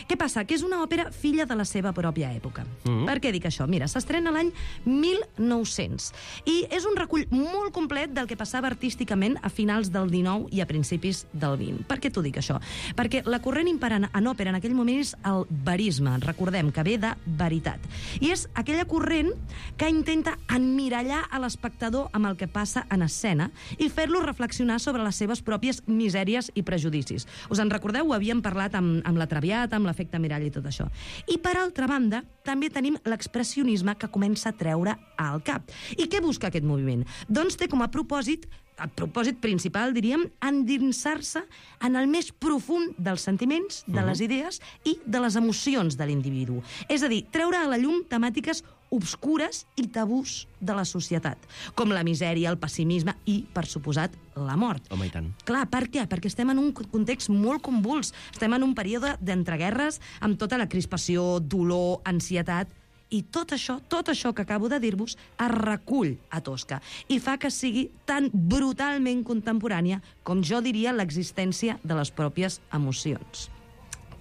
Què passa? Que és una òpera filla de la seva pròpia època. Per què dic això? Mira, s'estrena l'any 1900 i és un recull molt complet del que passava artísticament a finals del 19 i a principis del 20. Per què t'ho dic, això? Perquè la corrent imperant en òpera en aquell moment és el verisme. Recordem que ve de veritat. I és aquella corrent que intenta emmirallar a l'espectador amb el que passa en escena i fer-lo reflexionar sobre les seves pròpies misèries i prejudicis. Us en recordeu? Ho havíem parlat amb la Traviata, amb l'efecte mirall i tot això. I per altra banda, també tenim l'expressionisme que comença a treure al cap. I què busca aquest moviment? Doncs té com a propòsit, el propòsit principal, diríem, endinsar-se en el més profund dels sentiments, de les idees i de les emocions de l'individu. És a dir, treure a la llum temàtiques obscures i tabús de la societat, com la misèria, el pessimisme i, per suposat, la mort. Home, i tant. Clar, per què? Perquè estem en un context molt convuls. Estem en un període d'entreguerres amb tota la crispació, dolor, ansietat. I tot això que acabo de dir-vos es recull a Tosca i fa que sigui tan brutalment contemporània com jo diria l'existència de les pròpies emocions.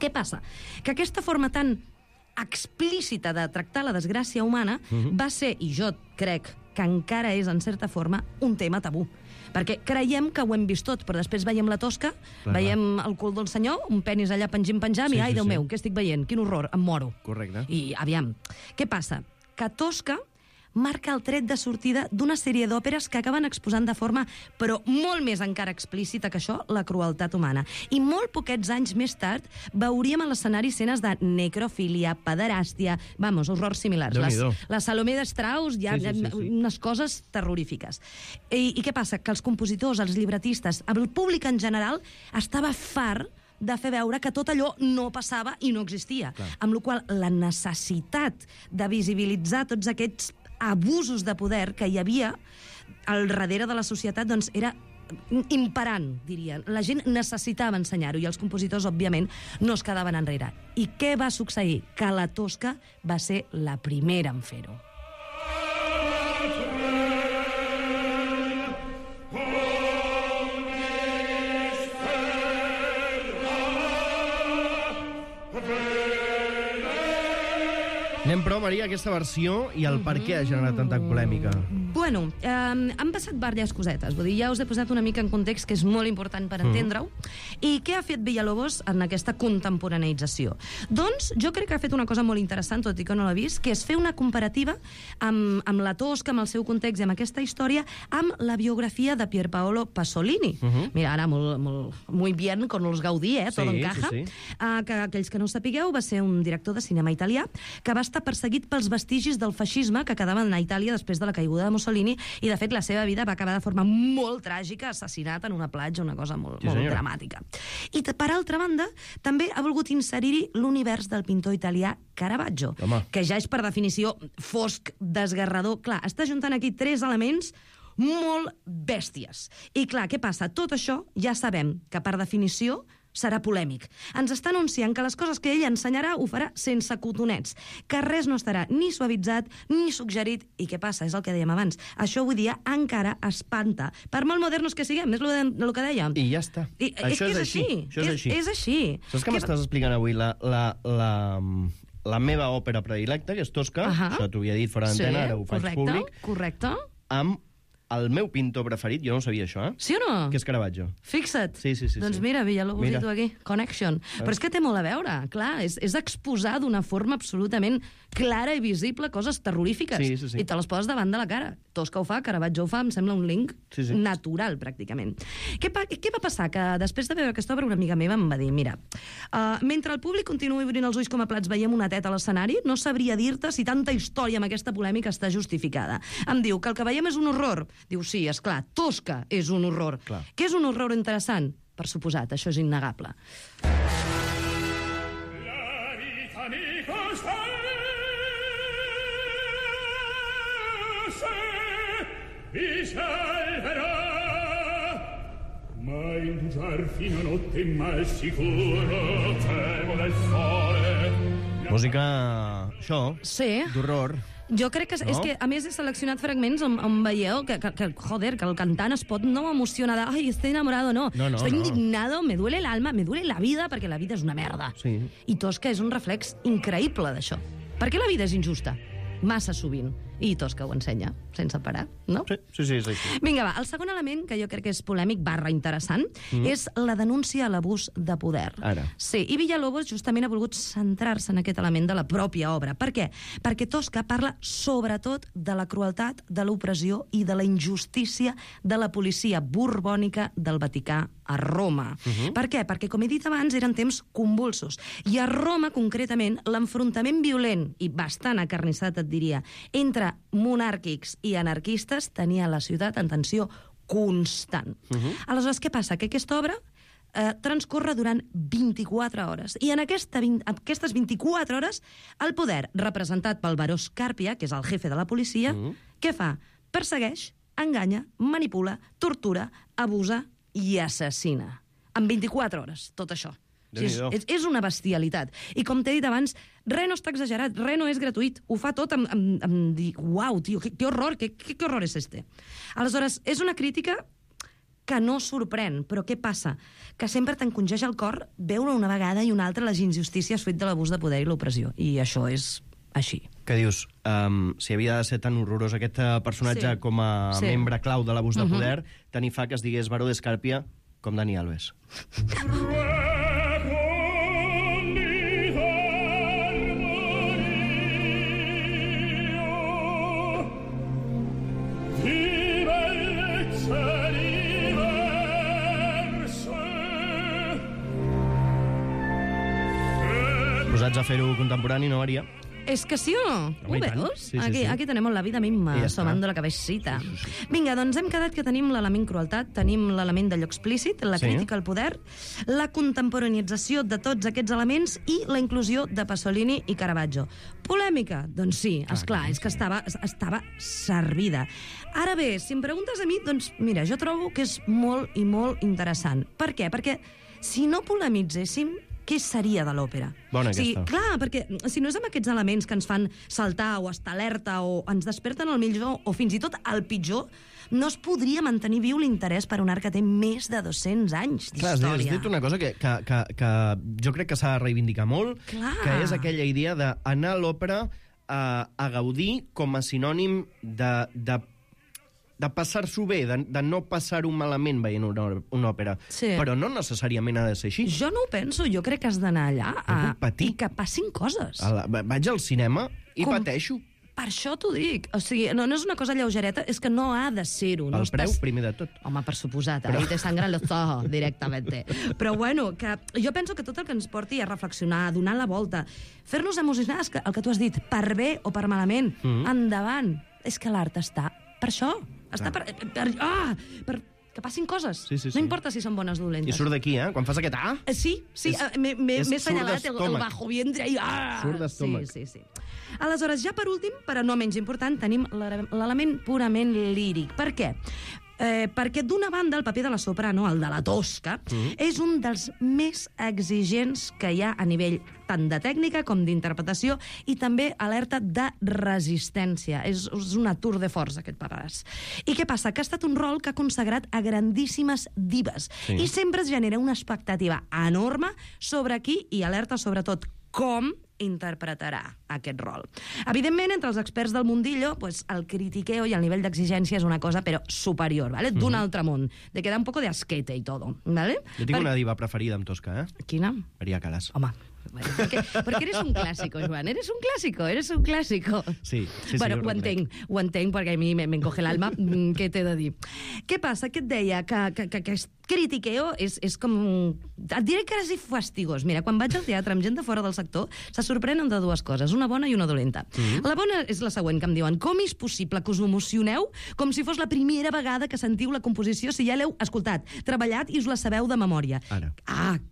Què passa? Que aquesta forma tan explícita de tractar la desgràcia humana va ser, i jo crec que encara és en certa forma, un tema tabú. Perquè creiem que ho hem vist tot, però després veiem la Tosca, veiem el cul del senyor, un penis allà penjant, i ai, Déu meu, què estic veient? Quin horror, em moro. Correcte. I, aviam, què passa? Que Tosca marca el tret de sortida d'una sèrie d'òperes que acaben exposant de forma, però molt més encara explícita que això, la crueltat humana. I molt poquets anys més tard veuríem a l'escenari escenes de necrofília, pederàstia, horrors similars. Déu-n'hi-do. La Salomé de Strauss, hi ha unes coses terrorífiques. I què passa? Que els compositors, els llibretistes, el públic en general, estava fart de fer veure que tot allò no passava i no existia. Amb la qual cosa la necessitat de visibilitzar tots aquests abusos de poder que hi havia al darrere de la societat doncs era imperant, dirien. La gent necessitava ensenyar-ho i els compositors, òbviament, no es quedaven enrere. I què va succeir? Que la Tosca va ser la primera en fer-ho. Anem, però, Maria, a aquesta versió i el per què ha generat tanta polèmica. Bueno, han passat diverses cosetes. Vull dir, ja us he posat una mica en context, que és molt important per entendre-ho. I què ha fet Villalobos en aquesta contemporaneïtzació? Doncs jo crec que ha fet una cosa molt interessant, tot i que no l'he vist, que és fer una comparativa amb la Tosca, amb el seu context i amb aquesta història, amb la biografia de Pierpaolo Pasolini. Mira, ara muy bien, con los Gaudí, todo encaja. Que aquells que no ho sapigueu, va ser un director de cinema italià que va estar perseguit pels vestigis del feixisme que quedaven a Itàlia després de la caiguda de Mussolini, i de fet la seva vida va acabar de forma molt tràgica, assassinat en una platja, una cosa molt dramàtica. I per altra banda, també ha volgut inserir-hi l'univers del pintor italià Caravaggio, que ja és per definició fosc, desgarrador. Clar, està juntant aquí 3 elements molt bèsties. I clar, què passa? Tot això ja sabem que per definició serà polèmic. Ens està anunciant que les coses que ell ensenyarà ho farà sense cotonets, que res no estarà ni suavitzat ni suggerit. I què passa? És el que dèiem abans. Això avui dia encara espanta. Per molt modernos que siguem, és el que dèiem. I ja està. Això és així. És així. Saps que m'estàs explicant avui la meva òpera predilecta, que és Tosca, això t'ho havia dit fora d'antena, ara ho faig públic, correcte. amb el meu pintor preferit, jo no ho sabia això, Sí o no? que és Caravaggio. Fixa't. Sí. Doncs mira, Villalobos i tu aquí. Connection. Però és que té molt a veure, clar. És exposar d'una forma absolutament clara i visible coses terrorífiques. Sí. I te les poses davant de la cara. Tosca ho fa, Caravaggio ho fa, em sembla un link natural, pràcticament. Què va passar? Que després de veure aquesta obra, una amiga meva em va dir, mira, mentre el públic continuï obrint els ulls com a plats veiem una teta a l'escenari, no sabria dir-te si tanta història amb aquesta polèmica està justificada. Em diu que el que veiem és un horror. Diu, sí, esclar, Tosca és un horror. Clar. Què és un horror interessant? Per suposat, això és innegable. La vita mi costa mi salverà, ma indugiar fino a notte mal sicuro temo del sole. Música, això, Sí. d'horror. Jo crec que és que, a més, he seleccionat fragments on veieu que el cantant es pot no emocionar de ai, estoy enamorado, no. Estoy indignado, me duele el alma, me duele la vida, perquè la vida és una merda. Sí. I Tosca és un reflex increïble d'això. Per què la vida és injusta? Massa sovint. I Tosca ho ensenya, sense parar, no? Sí, és així. Vinga, va, el segon element, que jo crec que és polèmic / interessant, és la denúncia a l'abús de poder. Ara. Sí, i Villalobos justament ha volgut centrar-se en aquest element de la pròpia obra. Per què? Perquè Tosca parla sobretot de la crueltat, de l'opressió i de la injustícia de la policia borbònica del Vaticà a Roma. Per què? Perquè, com he dit abans, eren temps convulsos. I a Roma, concretament, l'enfrontament violent, i bastant acarnissat, et diria, entre monàrquics i anarquistes tenia la ciutat en tensió constant. Aleshores, què passa? Que aquesta obra transcorre durant 24 hores. I en aquestes 24 hores, el poder, representat pel baró Scarpia, que és el jefe de la policia, què fa? Persegueix, enganya, manipula, tortura, abusa i assassina. En 24 hores, tot això. És una bestialitat. I com t'he dit abans, res no està exagerat, res no és gratuït. Ho fa tot amb dir, uau, tio, que horror, que horror és este? Aleshores, és una crítica que no sorprèn, però què passa? Que sempre t'encongeja el cor veure una vegada i una altra les injustícies fruit de l'abús de poder i l'opressió. I això és així. Què dius? Si havia de ser tan horrorós aquest personatge com a membre clau de l'abús de poder, tant hi fa que es digués Baró d'Escàrpia com Dani Alves. Posats a fer-ho contemporani, no, Maria? És que sí o no? Ho veus? Sí. Aquí tenemos la vida misma, asomando la cabecita. Vinga, doncs hem quedat que tenim l'element crueltat, tenim l'element d'allò explícit, la crítica al poder, la contemporaneïtzació de tots aquests elements i la inclusió de Pasolini i Caravaggio. Polèmica? Doncs sí, esclar, és que estava servida. Ara bé, si em preguntes a mi, doncs mira, jo trobo que és molt i molt interessant. Per què? Perquè si no polemitzéssim, què seria de l'òpera? Bona aquesta. Clar, perquè si no és amb aquests elements que ens fan saltar o estar alerta o ens desperten el millor o fins i tot el pitjor, no es podria mantenir viu l'interès per un art que té més de 200 anys d'història. Clar, has dit una cosa que jo crec que s'ha de reivindicar molt, que és aquella idea d'anar a l'òpera a gaudir com a sinònim de passar-s'ho bé, de no passar-ho malament veient una òpera. Sí. Però no necessàriament ha de ser així. Jo no ho penso, jo crec que has d'anar allà puc patir. i que passin coses. Vaig al cinema i pateixo. Per això t'ho dic. O sigui, no és una cosa lleugereta, és que no ha de ser-ho. No El preu, primer de tot. Home, per suposat, ahí te sangran los ojos directamente. Però bueno, que jo penso que tot el que ens porti a reflexionar, a donar la volta, fer-nos emocionar, és que el que tu has dit, per bé o per malament, endavant. És que l'art està per això. Està per que passin coses. Sí. No importa si són bones o dolentes. I surt d'aquí, quan fas aquest Sí, m'he assenyalat el bajo vientre. Surt d'estómac. Sí. Aleshores, ja per últim, però no menys important, tenim l'element purament líric. Per què? Perquè d'una banda el paper de la soprano, el de la tosca, és un dels més exigents que hi ha a nivell tant de tècnica com d'interpretació i també alerta de resistència. És una tour de force, aquest paperàs. I què passa? Que ha estat un rol que ha consagrat a grandíssimes divas i sempre es genera una expectativa enorme sobre qui i alerta sobretot com interpretarà aquest rol. Evidentment, entre els experts del mundillo, pues, el critiqueo i el nivell d'exigència és una cosa, però superior, ¿vale? D'un altre món, de quedar un poco de asquete y todo, ¿vale? Jo tinc una diva preferida amb tosca, Quina? Maria Callas. Home, porque eres un clásico, Joan, eres un clásico. Sí, bueno, ho entenc, perquè a mi m'encoge l'alma, què t'he de dir? Què passa? Que et deia que aquest critiqueo és com... Et diré quasi fastigós. Mira, quan vaig al teatre amb gent de fora del sector, se sorprenen de dues coses, una bona i una dolenta. La bona és la següent, que em diuen: com és possible que us emocioneu com si fos la primera vegada que sentiu la composició, si ja l'heu escoltat, treballat i us la sabeu de memòria? Ara.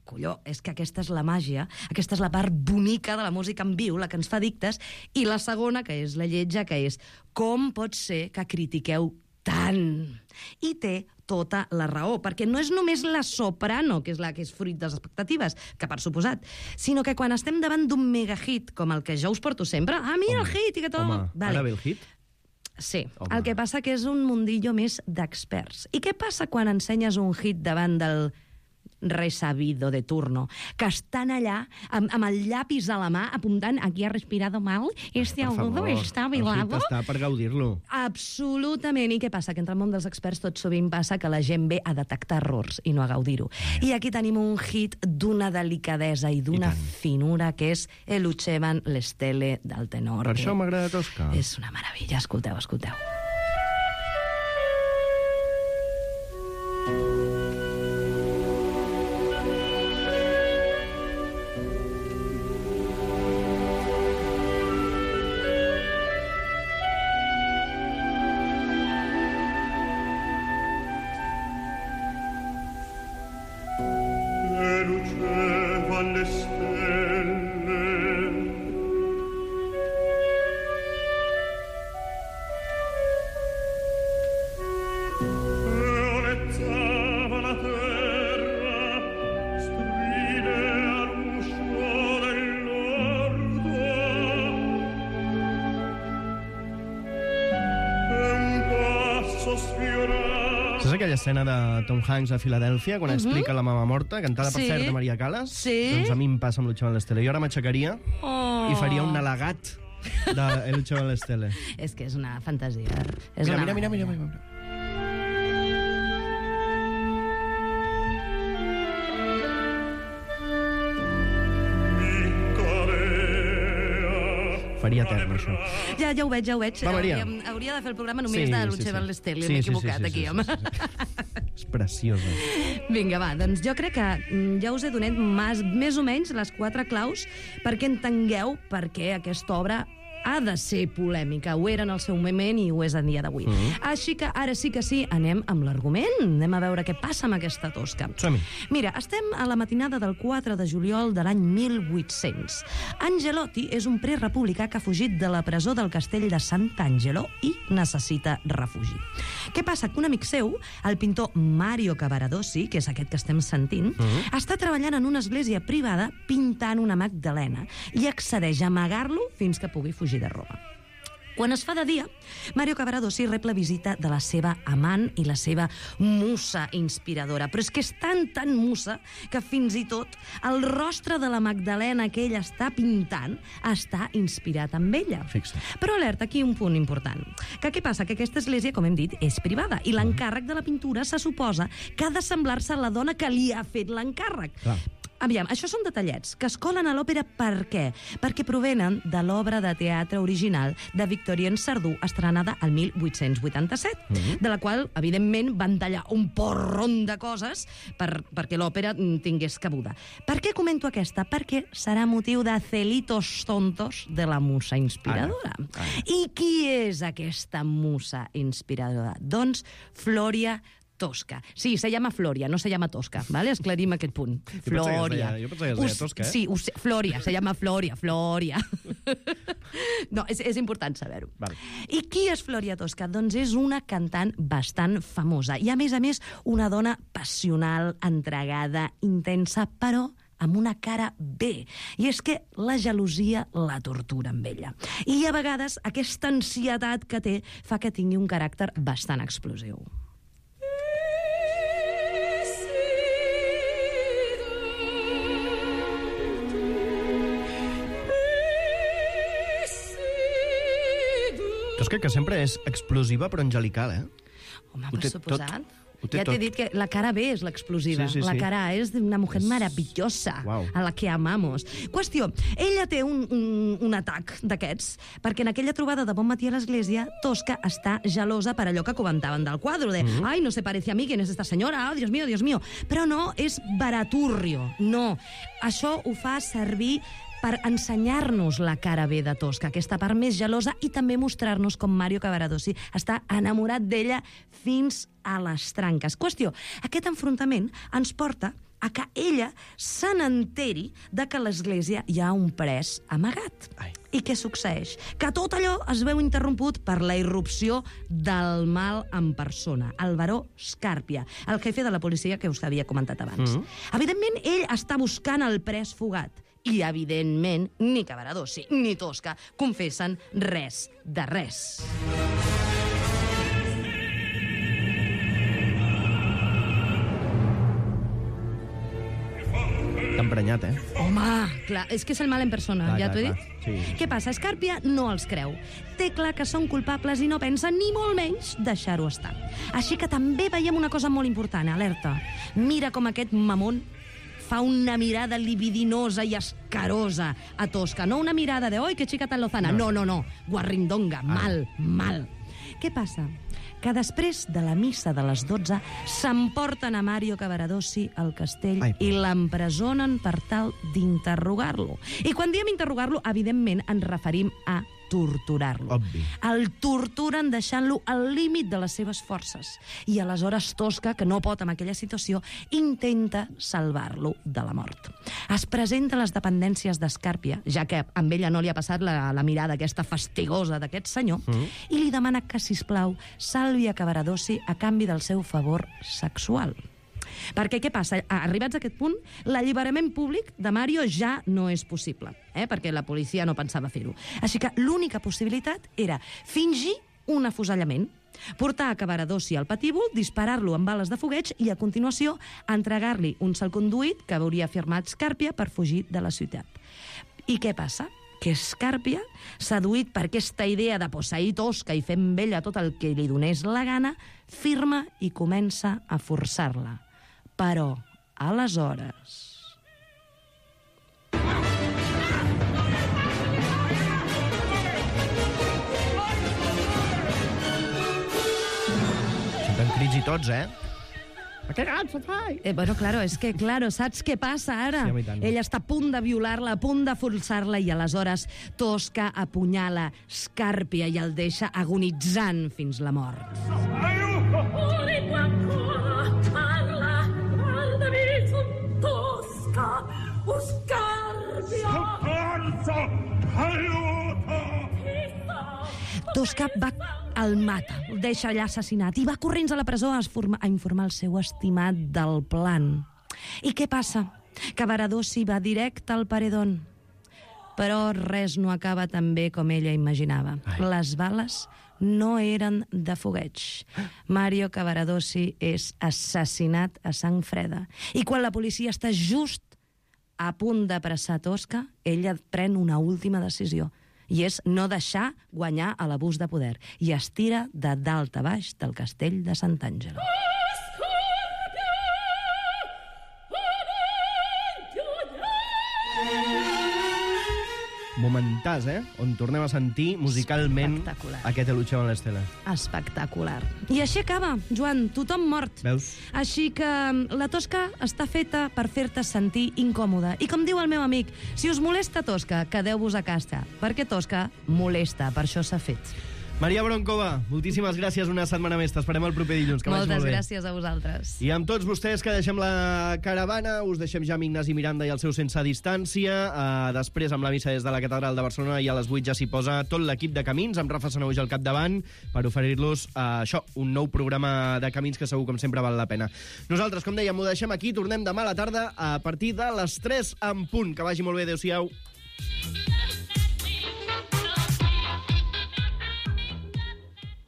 Colló, és que aquesta és la màgia, aquesta és la part bonica de la música en viu, la que ens fa addictes, i la segona, que és la lletja, que és com pot ser que critiqueu tant? I té tota la raó, perquè no és només la soprano, que és la que és fruit de les expectatives, que per suposat, sinó que quan estem davant d'un megahit, com el que jo us porto sempre, mira el hit, i que tot... Ara ve el hit? Sí, el que passa que és un mundillo més d'experts. I què passa quan ensenyes un hit davant del resabido de turno, que estan allà amb el llapis a la mà apuntant: aquí ha respirado mal, agudo está velado. El hit està per gaudir-lo. Absolutament. I què passa? Que entre el món dels experts tot sovint passa que la gent ve a detectar errors i no a gaudir-ho. I aquí tenim un hit d'una delicadesa i d'una finura, que és El Uccevan le stelle del tenor. Per això m'agrada tosca. És una meravella. Escolteu. Saps aquella escena de Tom Hanks a Filadèlfia, quan explica la mama morta, cantada per cert de Maria Callas? Sí. Doncs a mi em passa amb l'Uccevan l'Estelle. Jo ara m'aixecaria i faria un al·legat de l'Uccevan l'Estelle. És que és una fantasia. Mira. Faria etern, això. Ja ho veig. Va, Maria. Hauria de fer el programa només de l'Uccevan l'Estelle. M'he equivocat aquí, home. És preciosa. Vinga, va, doncs jo crec que ja us he donat més o menys les 4 claus perquè entengueu per què aquesta obra ha de ser polèmica. Ho era en el seu moment i ho és en dia d'avui. Així que ara sí que sí, anem amb l'argument. Anem a veure què passa amb aquesta tosca. Som-hi. Mira, estem a la matinada del 4 de juliol de l'any 1800. Angelotti és un prerepublicà que ha fugit de la presó del castell de Sant'Angelo i necessita refugi. Què passa? Que un amic seu, el pintor Mario Cavaradossi, que és aquest que estem sentint, està treballant en una església privada pintant una Magdalena i accedeix a amagar-lo fins que pugui fugir de Roma. Quan es fa de dia, Mario Cavaradossi rep la visita de la seva amant i la seva musa inspiradora. Però és que és tan musa que fins i tot el rostre de la Magdalena que ell està pintant està inspirat amb ella. Fixa't. Però alerta, aquí un punt important. Que què passa? Que aquesta església, com hem dit, és privada i l'encàrrec de la pintura se suposa que ha de semblar-se a la dona que li ha fet l'encàrrec. Clar. Aviam, això són detallets que es colen a l'òpera per què? Perquè provenen de l'obra de teatre original de Victorien Sardou, estrenada al 1887, de la qual, evidentment, van tallar un porron de coses perquè l'òpera tingués cabuda. Per què comento aquesta? Perquè serà motiu de celitos tontos de la musa inspiradora. I qui és aquesta musa inspiradora? Doncs Floria Tosca. Sí, se llama Floria, no se llama Tosca, ¿vale? Esclarim aquest punt. Floria. Jo pensava que es deia Tosca, eh? Sí, Floria, se llama Floria. No, és important saber-ho. Vale. I qui és Floria Tosca? Doncs és una cantant bastant famosa i, a més, una dona passional, entregada, intensa, però amb una cara bé. I és que la gelosia la tortura amb ella. I a vegades aquesta ansietat que té fa que tingui un caràcter bastant explosiu. Tosca, que sempre és explosiva però angelical, eh? Home, Ho per té suposat. Ho té Ja t'he tot. dit que la cara B és l'explosiva. Sí. La cara A és una mujer maravillosa, Uau. a la que amamos. Qüestió, ella té un atac d'aquests, perquè en aquella trobada de Bon matí a l'església, Tosca està gelosa per allò que comentaven del quadre, de «Ai, no se parece a mí, ¿quién es esta señora? Oh, Dios mío, Dios mío». Però no, és baraturrio, no. Això ho fa servir per ensenyar-nos la cara B de Tosca, aquesta part més gelosa, i també mostrar-nos com Mario Cavaradossi està enamorat d'ella fins a les tranques. Qüestió, aquest enfrontament ens porta a que ella se n'enteri de que a l'església hi ha un pres amagat. Ai. I què succeeix? Que tot allò es veu interromput per la irrupció del mal en persona, el baró Scarpia, el jefe de la policia que us havia comentat abans. Evidentment, ell està buscant el pres fugat, i, evidentment, ni Cavaradossi ni Tosca confessen res de res. T'ha emprenyat, eh? Home, clar, és que és el mal en persona, Clar, ja t'ho he clar, dit. clar. Sí. Què passa? Scarpia no els creu. Té clar que són culpables i no pensa ni molt menys deixar-ho estar. Així que també veiem una cosa molt important, alerta. Mira com aquest mamón fa una mirada libidinosa i escarosa a Tosca. No una mirada de «Oi, que xica tan lozana». No. Guarrindonga, mal. Què passa? Que després de la missa de les 12 s'emporten a Mario Cavaradossi al castell i l'empresonen per tal d'interrogar-lo. I quan diem interrogar-lo, evidentment ens referim a torturar-lo. Obvi. El torturen deixant-lo al límit de les seves forces. I aleshores Tosca, que no pot amb aquella situació, intenta salvar-lo de la mort. Es presenta a les dependències d'Escàrpia, ja que amb ella no li ha passat la mirada aquesta fastigosa d'aquest senyor, i li demana que, sisplau, salvi a Cavaradossi a canvi del seu favor sexual. Perquè què passa? Arribats a aquest punt, l'alliberament públic de Mario ja no és possible, perquè la policia no pensava fer-ho. Així que l'única possibilitat era fingir un afusellament, portar a Cavaradossi al patíbul, disparar-lo amb bales de fogueig i, a continuació, entregar-li un salconduit que hauria firmat Scarpia per fugir de la ciutat. I què passa? Que Scarpia, seduït per aquesta idea de posseir Tosca i fer amb ella tot el que li donés la gana, firma i comença a forçar-la. Però, aleshores... Senten crits i tots, eh? Bueno, claro, és que, saps què passa ara? Sí, home, i tant. Ella està a punt de violar-la, a punt de forçar-la, i aleshores Tosca apunyala Scarpia i el deixa agonitzant fins la mort. Tosca va el mata, el deixa allà assassinat i va corrents a la presó a informar el seu estimat del plan. I què passa? Cavaradossi va directe al paredón. Però res no acaba tan bé com ella imaginava. Les bales no eren de fogueig. Mario Cavaradossi és assassinat a sang freda. I quan la policia està just a punt d'apressar Tosca, ella pren una última decisió, i és no deixar guanyar a l'abús de poder, i es tira de dalt a baix del castell de Sant'Angelo. Momentàs, on tornem a sentir musicalment Espectacular. aquest Lucheo en l'Estela. Espectacular. I així acaba, Joan, tothom mort. Veus? Així que la Tosca està feta per fer-te sentir incòmode. I com diu el meu amic, si us molesta Tosca, quedeu-vos a casa, perquè Tosca molesta, per això s'ha fet. Maria Broncova, moltíssimes gràcies una setmana més. T'esperem el proper dilluns, que vagi Moltes molt bé. gràcies a vosaltres. I amb tots vostès que deixem la caravana, us deixem ja amb Ignasi Miranda i el seu Sense Distància. Després, amb la missa des de la Catedral de Barcelona, i a les 8 ja s'hi posa tot l'equip de Camins, amb Rafa Sanauix al capdavant, per oferir-los un nou programa de Camins que segur, com sempre, val la pena. Nosaltres, com dèiem, ho deixem aquí. Tornem demà a la tarda a partir de les 3 en punt. Que vagi molt bé. Adéu-siau.